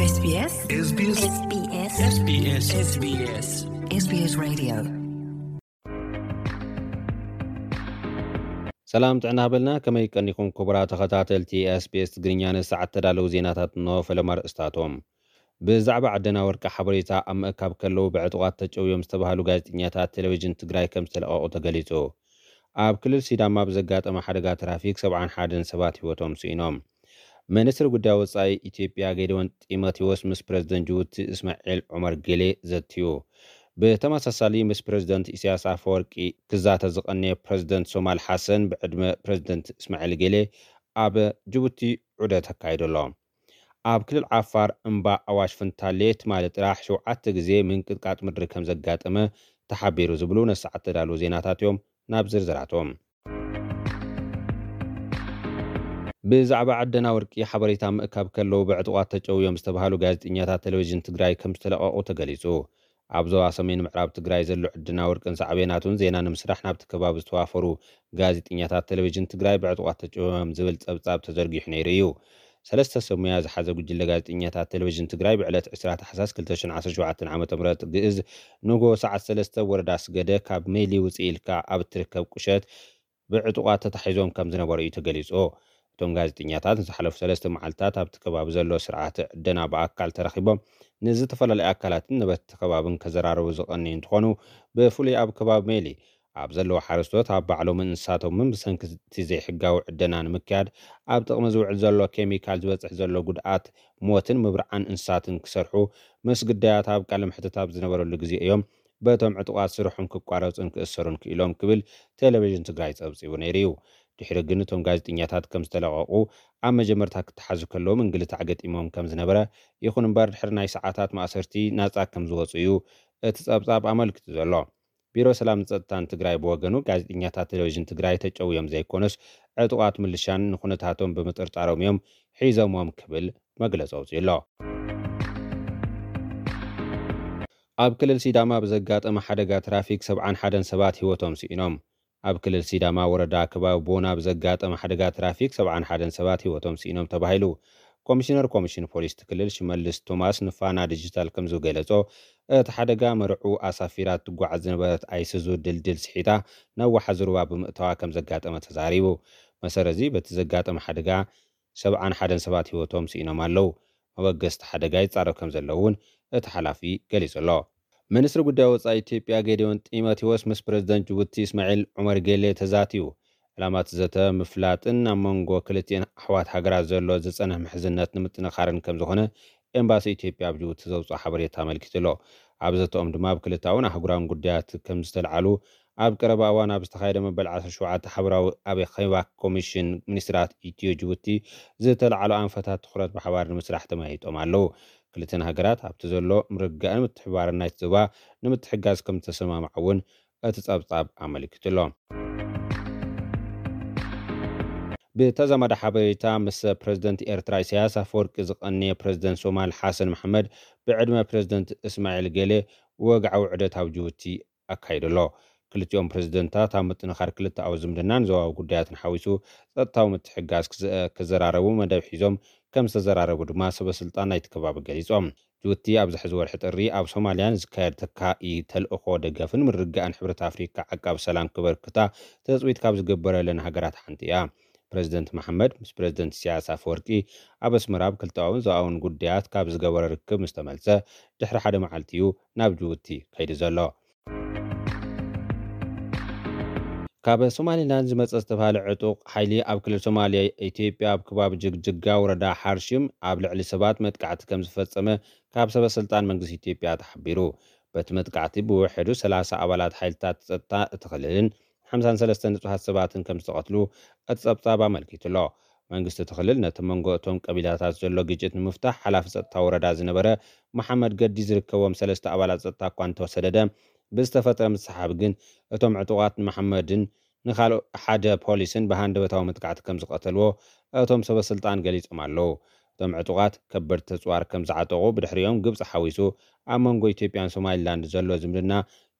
SBS SBS SBS SBS SBS Radio. ሰላም ጥዕና በልና። ከመይ ቀኒኹም ክቡራት ተኸታተልቲ SBS ትግርኛ? ንሰዓት ተዳለዉ ዜናታት እንሆ። ፈለማ ርእስታቶም። ብዛዕባ ዕደና ወርቂ ሓበሬታ ኣብ ምእካብ ከለዉ ብዕጡቓት ተጨውዮም ዝተባህሉ ጋዜጠኛታት ቴሌቪዥን ትግራይ ከም ዝተለቐቑ ተገሊጹ። ኣብ ክልል ሲዳማ ብዘጋጠመ ሓደጋ ትራፊክ ሰብዓን ሓደን ሰባት ህይወቶም ስኢኖም። ሚኒስትሪ ጉዳይ ወጻኢ ኢትዮጵያ ጌዲዮን ጢሞቴዎስ ምስ ፕረዚደንት ጅቡቲ እስማዒል ዑመር ጌሌ ዘትዩ። ብተመሳሳሊ ምስ ፕረዚደንት ኢሳያስ ኣፈወርቂ ክዛተ ዝቐነየ ፕረዚደንት ሶማል ሓሰን ብዕድመ ፕረዚደንት እስማዒል ጌሌ ኣብ ጅቡቲ ዑደት ኣካይዱ ኣሎ። ኣብ ክልል ዓፋር እምባ ኣዋሽ ፍንታሌ ትማሊ ጥራሕ ሸውዓተ ግዜ ምንቅጥቃጥ ምድሪ ከም ዘጋጠመ ተሓቢሩ ዝብሉ ነሰዓት ተዳለዉ ዜናታት እዮም። ናብ ዝርዝራቶም። ብዛዕባ ዕደና ወርቂ ሓበሬታ ምእካብ ከለዉ ብዕጡቓት ተጨውዮም ዝተባህሉ ጋዜጠኛታት ቴሌቪዥን ትግራይ ከም ዝተለቐቑ ተገሊጹ። ኣብ ዞባ ሰሜን ምዕራብ ትግራይ ዘሎ ዕደና ወርቅን ሳዕቤናቱን ዜና ንምስራሕ ናብቲ ከባቢ ዝተዋፈሩ ጋዜጠኛታት ቴሌቪዥን ትግራይ ብዕጡቓት ተጨውዮም ዝብል ጸብጻብ ተዘርጊሑ ነይሩ እዩ። ሰለስተ ሰብ ሙያ ዝሓዘ ጉጅለ ጋዜጠኛታት ቴሌቪዥን ትግራይ ብዕለት ዕስራ ታሕሳስ ክልተ ሽሕን ዓሰርተ ሸውዓተን ዓመተ ምህረት ግእዝ ንጎ ሰዓት ሰለስተ ወረዳ ስገደ ካብ ሜሊ ውፅእ ኢልካ ኣብ እትርከብ ቁሸት ብዕጡቓት ተታሒዞም ከም ዝነበሩ እዩ ተገሊጹ። እቶም ጋዜጠኛታት ንዝሓለፉ ሰለስተ መዓልታት ኣብቲ ከባቢ ዘሎ ስርዓተ ዕደና ብኣካል ተረኺቦም ንዝተፈላለዩ ኣካላትን ነበርቲ ከባብን ከዘራረቡ ዝቐነዩ እንትኾኑ፣ ብፍሉይ ኣብ ከባቢ ሜሊ ኣብ ዘለዉ ሓረስቶት ኣብ ባዕሎምን እንስሳቶምን ብሰንኪ እቲ ዘይሕጋዊ ዕደና ንምክያድ ኣብ ጥቕሚ ዝውዕል ዘሎ ኬሚካል ዝበፅሕ ዘሎ ጉድኣት፣ ሞትን ምብርዓን እንስሳትን ክሰርሑ ምስ ግዳያት ኣብ ቃለ መሕትት ኣብ ዝነበረሉ ግዜ እዮም በቶም ዕጡቓት ስርሖም ክቋረፁን ክእሰሩን ክኢሎም ክብል ቴሌቪዥን ትግራይ ፀብፂቡ ነይሩ እዩ። ድሕሪ ግን እቶም ጋዜጠኛታት ከም ዝተለቐቑ ኣብ መጀመርታ ክተሓዙ ከለዉ ምንግልታዕ ገጢሞም ከም ዝነበረ፣ ይኹን እምበር ድሕሪ ናይ ሰዓታት ማእሰርቲ ናፃ ከም ዝወፁ እዩ እቲ ፀብፃብ ኣመልኪቱ ዘሎ። ቢሮ ሰላምን ፀጥታን ትግራይ ብወገኑ ጋዜጠኛታት ቴሌቪዥን ትግራይ ተጨውዮም ዘይኮኑስ ዕጡቓት ምልሻን ንኩነታቶም ብምጥርጣሮም እዮም ሒዞምዎም ክብል መግለፂ ኣውፂኡ ኣሎ። ኣብ ክልል ሲዳማ ብዘጋጠመ ሓደጋ ትራፊክ ሰብዓን ሓደን ሰባት ህይወቶም ስኢኖም። ኣብ ክልል ሲዳማ ወረዳ ከባቢ ቦና ብዘጋጠመ ሓደጋ ትራፊክ ሰብዓን ሓደን ሰባት ህይወቶም ስኢኖም ተባሂሉ። ኮሚሽነር ኮሚሽን ፖሊስ እቲ ክልል ሽመልስ ቶማስ ንፋና ዲጂታል ከም ዝገለጾ፣ እቲ ሓደጋ መርዑ ኣሳፊራ ትጓዓዝ ዝነበረት ኣይሱዙ ድልድል ስሒታ ነዋሓ ዝሩባ ብምእታዋ ከም ዘጋጠመ ተዛሪቡ። መሰረዚ በቲ ዘጋጠመ ሓደጋ ሰብዓን ሓደን ሰባት ህይወቶም ስኢኖም ኣለዉ። መበገስቲ ሓደጋ ይጻረብ ከም ዘለዉ እውን እቲ ሓላፊ ገሊጹ ኣሎ። ሚኒስትሪ ጉዳይ ወጻኢ ኢትዮጵያ ጌዲዮን ጢሞቴዎስ ምስ ፕረዚደንት ጅቡቲ እስማዒል ዑመር ጌሌ ተዛትዩ። ዕላማ እቲ ዘተ ምፍላጥን ኣብ መንጎ ክልቲኤን ኣሕዋት ሃገራት ዘሎ ዝጸንሕ ምሕዝነት ንምጥንኻርን ከም ዝኾነ ኤምባሲ ኢትዮጵያ ኣብ ጅቡቲ ዘውፅኦ ሓበሬታ ኣመልኪቱ ኣሎ። ኣብ ዘተኦም ድማ ኣብ ክልታውን ኣህጉራውን ጉዳያት ከም ዝተልዓሉ ኣብ ቀረባ እዋን ኣብ ዝተኻየደ መበል ዓሰርተ ሸውዓተ ሓበራዊ ኣኼባ ኮሚሽን ሚኒስትራት ኢትዮ ጅቡቲ ዝተልዓሉ ኣንፈታት ትኹረት ብሓባር ንምስራሕ ተመያይጦም ኣለዉ። ክልተን ሃገራት ኣብቲ ዘሎ ምርግጋእን ምትሕብባርን ናይቲ ዞባ ንምትሕጋዝ ከም ዝተሰማምዓ እውን እቲ ጸብጻብ ኣመልኪቱ ኣሎ። ብተዛማዲ ሓበሬታ ምስ ፕረዚደንት ኤርትራ ኢሳያስ ኣፈወርቂ ዝቐነየ ፕረዚደንት ሶማል ሓሰን መሓመድ ብዕድመ ፕረዚደንት እስማዒል ጌሌ ወግዓዊ ዑደት ኣብ ጅቡቲ ኣካይዱ ኣሎ። ክልቲኦም ፕረዚደንታት ኣብ ምጥንኻር ክልተኣዊ ዝምድናን ዞባዊ ጉዳያትን ሓዊሱ ጸጥታዊ ምትሕግጋዝ ክዘ-፣ ክዘራረቡ መደብ ሒዞም ከም ዝተዘራረቡ ድማ ሰበ ስልጣን ናይቲ ከባቢ ገሊጾም። ጅቡቲ ኣብዚ ሕዚ ወርሒ ጥሪ ኣብ ሶማልያ ንዝካየድ ተካኢ ተልእኾ ደገፍን ምርግጋእን ሕብረት ኣፍሪካ ዓቃብ ሰላም ክበርክታ ትጽቢት ካብ ዝግበረለን ሃገራት ሓንቲ እያ። ፕረዚደንት መሓመድ ምስ ፕረዚደንት ኢሳያስ ኣፈወርቂ ኣብ ኣስመራ ኣብ ክልተኣውን ዞባውን ጉዳያት ካብ ዝገበሮ ርክብ ምስ ተመልሰ ድሕሪ ሓደ መዓልቲ እዩ ናብ ጅቡቲ ከይዱ ዘሎ። ካብ ሶማሊላንድ ዝመጸ ዝተባህለ ዕጡቕ ሓይሊ ኣብ ክልል ሶማልያ ኢትዮጵያ ኣብ ከባቢ ጅግጅጋ ወረዳ ሓርሽም ኣብ ልዕሊ ሰባት መጥቃዕቲ ከም ዝፈጸመ ካብ ሰበ ስልጣን መንግስቲ ኢትዮጵያ ተሓቢሩ። በቲ መጥቃዕቲ ብውሕዱ ሰላሳ ኣባላት ሓይልታት ጸጥታ እቲ ክልልን ሓምሳን ሰለስተ ንጹሃት ሰባትን ከም ዝተቐትሉ እቲ ጸብጻብ ኣመልኪቱ ኣሎ። መንግስቲ እቲ ክልል ነቲ መንጎ እቶም ቀቢላታት ዘሎ ግጭት ንምፍታሕ ሓላፊ ጸጥታ ወረዳ ዝነበረ መሓመድ ገዲ ዝርከቦም ሰለስተ ኣባላት ጸጥታ እኳ እንተሰደደ፣ ብዝተፈጥረ ምስሓብ ግን እቶም ዕጡቓት ንመሓመድን ንኻልእ ሓደ ፖሊስን ብሃንደበታዊ መጥቃዕቲ ከም ዝቐተልዎ እቶም ሰበ ስልጣን ገሊጾም ኣለዉ። እቶም ዕጡቓት ከበድቲ ኣጽዋር ከም ዝዓጠቑ፣ ብድሕሪኦም ግብጺ ሓዊሱ ኣብ መንጎ ኢትዮጵያን ሶማሊላንድ ዘሎ ዝምድና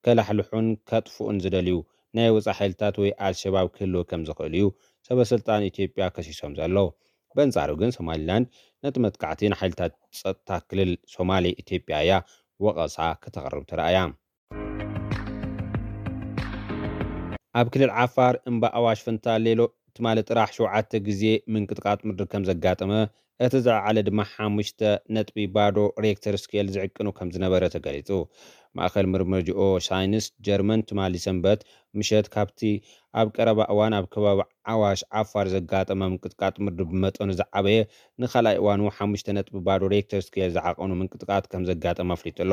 ከላሕልሑን ከጥፍኡን ዝደልዩ ናይ ወጻኢ ሓይልታት ወይ ኣልሸባብ ክህልው ከም ዝኽእል እዩ ሰበ ስልጣን ኢትዮጵያ ከሲሶም ዘለዉ። በንጻሩ ግን ሶማሊላንድ ነቲ መጥቃዕቲ ንሓይልታት ጸጥታ ክልል ሶማሌ ኢትዮጵያ እያ ወቐሳ ከተቕርብ ተራእያ። ኣብ ክልል ዓፋር እምባ ኣዋሽ ፈንታሌሎ ትማሊ ጥራሕ ሸውዓተ ግዜ ምንቅጥቃጥ ምድሪ ከም ዘጋጠመ፣ እቲ ዝለዓለ ድማ ሓሙሽተ ነጥቢ ባዶ ሬክተር ስኬል ዝዕቅኑ ከም ዝነበረ ተገሊጹ። ማእከል ምርምር ጂኦ ሳይንስ ጀርመን ትማሊ ሰንበት ምሸት ካብቲ ኣብ ቀረባ እዋን ኣብ ከባቢ ዓዋሽ ዓፋር ዘጋጠመ ምንቅጥቃጥ ምድሪ ብመጠኑ ዝዓበየ ንኻልኣይ እዋኑ ሓሙሽተ ነጥቢ ባዶ ሬክተር ስኬል ዝዓቐኑ ምንቅጥቃጥ ከም ዘጋጠመ ኣፍሊጡ ኣሎ።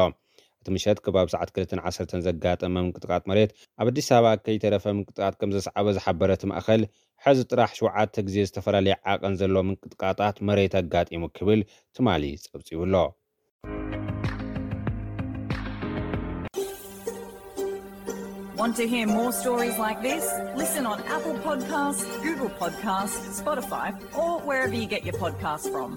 እቲ ምሸት ከባቢ ሰዓት ክልተን ዓሰርተን ዘጋጠመ ምንቅጥቃጥ መሬት ኣብ ኣዲስ ኣበባ ከይተረፈ ምንቅጥቃጥ ከም ዘስዓበ ዝሓበረ እቲ ማእኸል፣ ሕዚ ጥራሕ ሸውዓተ ግዜ ዝተፈላለየ ዓቐን ዘለዎ ምንቅጥቃጣት መሬት ኣጋጢሙ ክብል ትማሊ ጸብጺቡ ኣሎ። Want to hear more stories like this? Listen on Apple Podcasts, Google Podcasts, Spotify, or wherever you get your podcasts from.